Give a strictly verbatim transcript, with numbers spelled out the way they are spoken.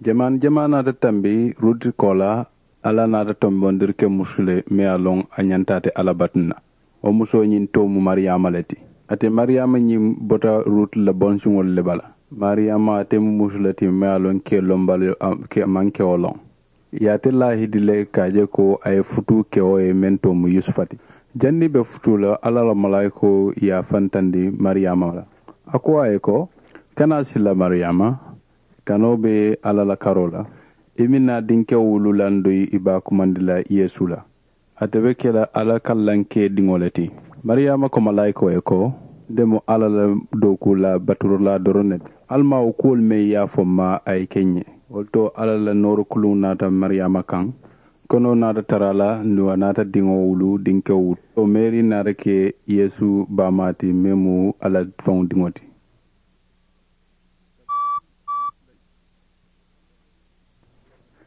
Jamaa jamaa naata tambi ruti koo la. Alla naata tombondiri ke musu le meŋ ye a loŋ a ñanta ate alla batu na. Wo musoo ñiŋ too mu mariyaama le ti. Ate mariyaama ñiŋ bota ruti la bonsiŋolu le bala. Mariyaama ate mu musu le ti meŋ ye a loŋ ke lombali ke maŋ ke wo loŋ. Ye ate laahidi le ka a je ko a ye futuu ke wo ye meŋ too mu yusufa ti. Janniŋ i be futuu la alla la malaayikoo ye a fantandi mariyaama la. A ko a ye ko, kana sila mariyaama, kanoo be alla la karoo la. I miŋ na dinkewo wulu landoyi i be a kumandi la yeesu la. Ate be ke la alla kallankee diŋo le ti. Mariyaama ko malaayikoo ye ko, nte mu alla la dookuu la baturulaa doroŋ ne ti. Alla maa wo kuwolu meŋ ye a fo m ma a ye ke n ye. Wo le to alla la nooro kuluŋo naata mariyaama kaŋ. Konoo naata tara a la nduŋ a naata diŋo wulu dinkewo wulu to meeri naata ke yeesu baamaa ti meŋ mu alla faŋo diŋo ti.